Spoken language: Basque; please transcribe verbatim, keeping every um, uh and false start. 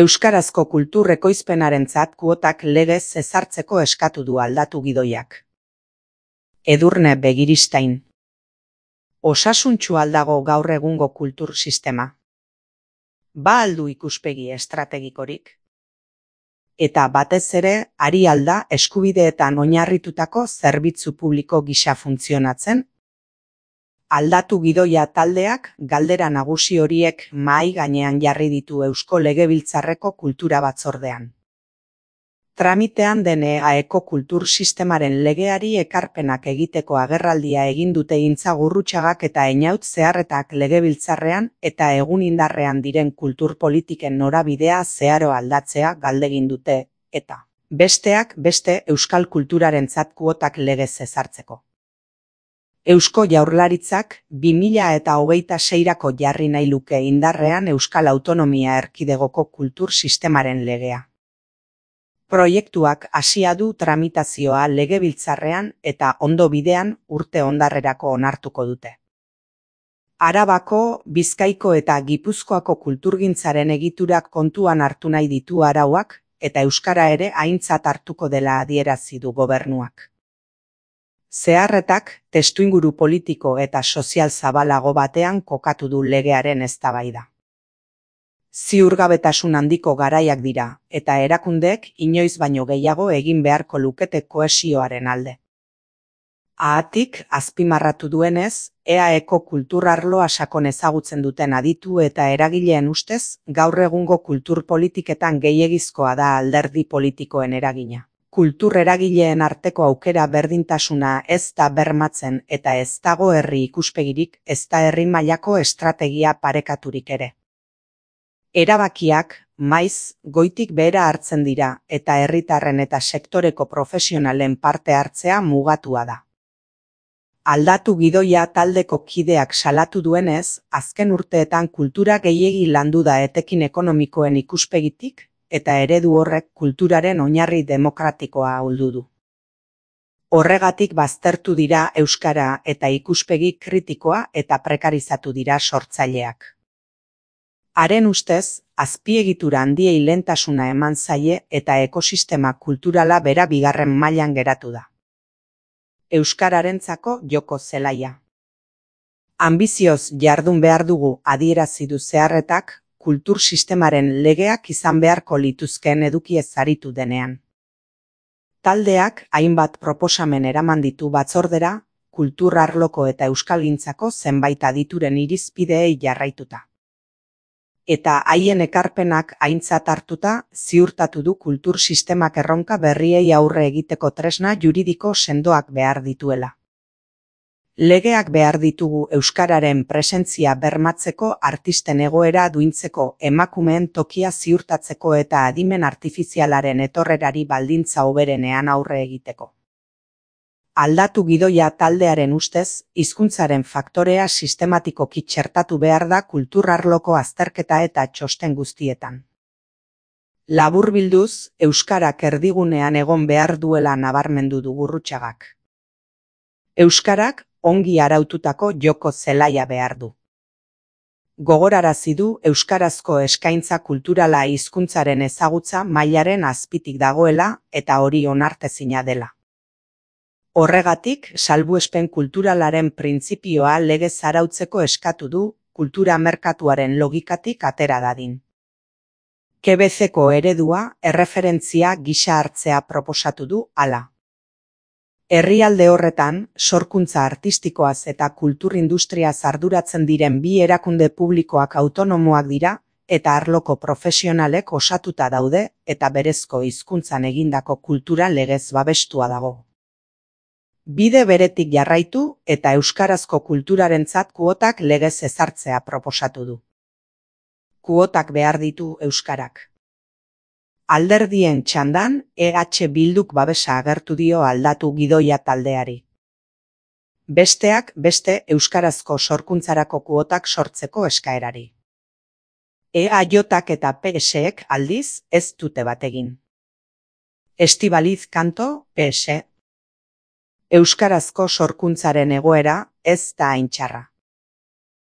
Euskarazko kultur ekoizpenarentzat kuotak legez ezartzeko eskatu du Aldatu Gidoiak. Edurne Begiristain. Osasuntsu al dago gaur egungo kultur sistema? Ba al du ikuspegi estrategikorik? Eta batez ere, ari al da eskubideetan oinarritutako zerbitzu publiko gisa funtzionatzen? Aldatu Gidoia taldeak galdera nagusi horiek mahai gainean jarri ditu Eusko Legebiltzarreko Kultura Batzordean. Tramitean den E A Eko kultur sistemaren legeari ekarpenak egiteko agerraldia egin dute Intza Gurrutxagak eta Einaut Zeharretak Legebiltzarrean eta egun indarrean diren kultur politiken norabidea zeharo aldatzea galdegin dute, eta besteak beste euskal kulturarentzat kuotak legez ezartzeko. Eusko Jaurlaritzak bi mila eta hogeita seirako jarri nahi luke indarrean Euskal Autonomia Erkidegoko kultur sistemaren legea. Proiektuak hasia du tramitazioa Legebiltzarrean eta ondo bidean urte ondarrerako onartuko dute. Arabako, Bizkaiko eta Gipuzkoako kulturgintzaren egiturak kontuan hartu nahi ditu arauak eta euskara ere aintzat hartuko dela adierazi du gobernuak. Zeharretak testuinguru politiko eta sozial zabalago batean kokatu du legearen eztabaida. Ziurgabetasun handiko garaiak dira, eta erakundeek inoiz baino gehiago egin beharko lukete kohesioaren alde. Haatik, azpimarratu duenez, E A Eko kultur arloa sakon ezagutzen duten aditu eta eragileen ustez, gaur egungo kultur politiketan gehiegizkoa da alderdi politikoen eragina. Kultur eragileen arteko aukera berdintasuna ez da bermatzen eta ez dago herri ikuspegirik, ez da herri mailako estrategia parekaturik ere. Erabakiak, maiz, goitik behera hartzen dira eta herritarren eta sektoreko profesionalen parte hartzea mugatua da. Aldatu Gidoia taldeko kideak salatu duenez, azken urteetan kultura gehiegi landu da etekin ekonomikoen ikuspegitik, eta eredu horrek kulturaren oinarri demokratikoa ahuldu du. Horregatik baztertu dira euskara eta ikuspegi kritikoa eta prekarizatu dira sortzaileak. Haren ustez, azpiegitura handiei lehentasuna eman zaie eta ekosistema kulturala bera bigarren mailan geratu da. Euskararentzako joko zelaia. Anbizioz jardun behar dugu adierazi du Zeharretak, kultur sistemaren legeak izan beharko lituzkeen edukiez aritu denean. Taldeak hainbat proposamen eraman ditu batzordera, kultur arloko eta euskalgintzako zenbait adituren irizpideei jarraituta. Eta haien ekarpenak aintzat hartuta ziurtatu du kultur sistemak erronka berriei aurre egiteko tresna juridiko sendoak behar dituela. Legeak behar ditugu euskararen presentzia bermatzeko, artisten egoera duintzeko, emakumeen tokia ziurtatzeko eta adimen artifizialaren etorrerari baldintza hoberenean aurre egiteko. Aldatu Gidoia taldearen ustez, hizkuntzaren faktorea sistematikoki txertatu behar da kultur arloko azterketa eta txosten guztietan. Laburbilduz, euskarak erdigunean egon behar duela nabarmendu du Gurrutxagak. Euskarak ongi araututako joko zelaia behar du. Gogorarazi du euskarazko eskaintza kulturala hizkuntzaren ezagutza mailaren azpitik dagoela eta hori onartezina dela. Horregatik, salbuespen kulturalaren printzipioa legez arautzeko eskatu du, kultura merkatuaren logikatik atera dadin. K B C-ko eredua erreferentzia gisa hartzea proposatu du hala. Herrialde horretan, sorkuntza artistikoaz eta kultur industriaz arduratzen diren bi erakunde publikoak autonomoak dira eta arloko profesionalek osatuta daude eta berezko hizkuntzan egindako kultura legez babestua dago. Bide beretik jarraitu eta euskarazko kulturarentzat kuotak legez ezartzea proposatu du. Kuotak behar ditu euskarak. Alderdien txandan, E H Bilduk babesa agertu dio Aldatu Gidoia taldeari. Besteak beste euskarazko sorkuntzarako kuotak sortzeko eskaerari. E A Jak eta P S-ek aldiz ez dute bat egin. Estibaliz Kanto, P S. Euskarazko sorkuntzaren egoera ez da hain txarra.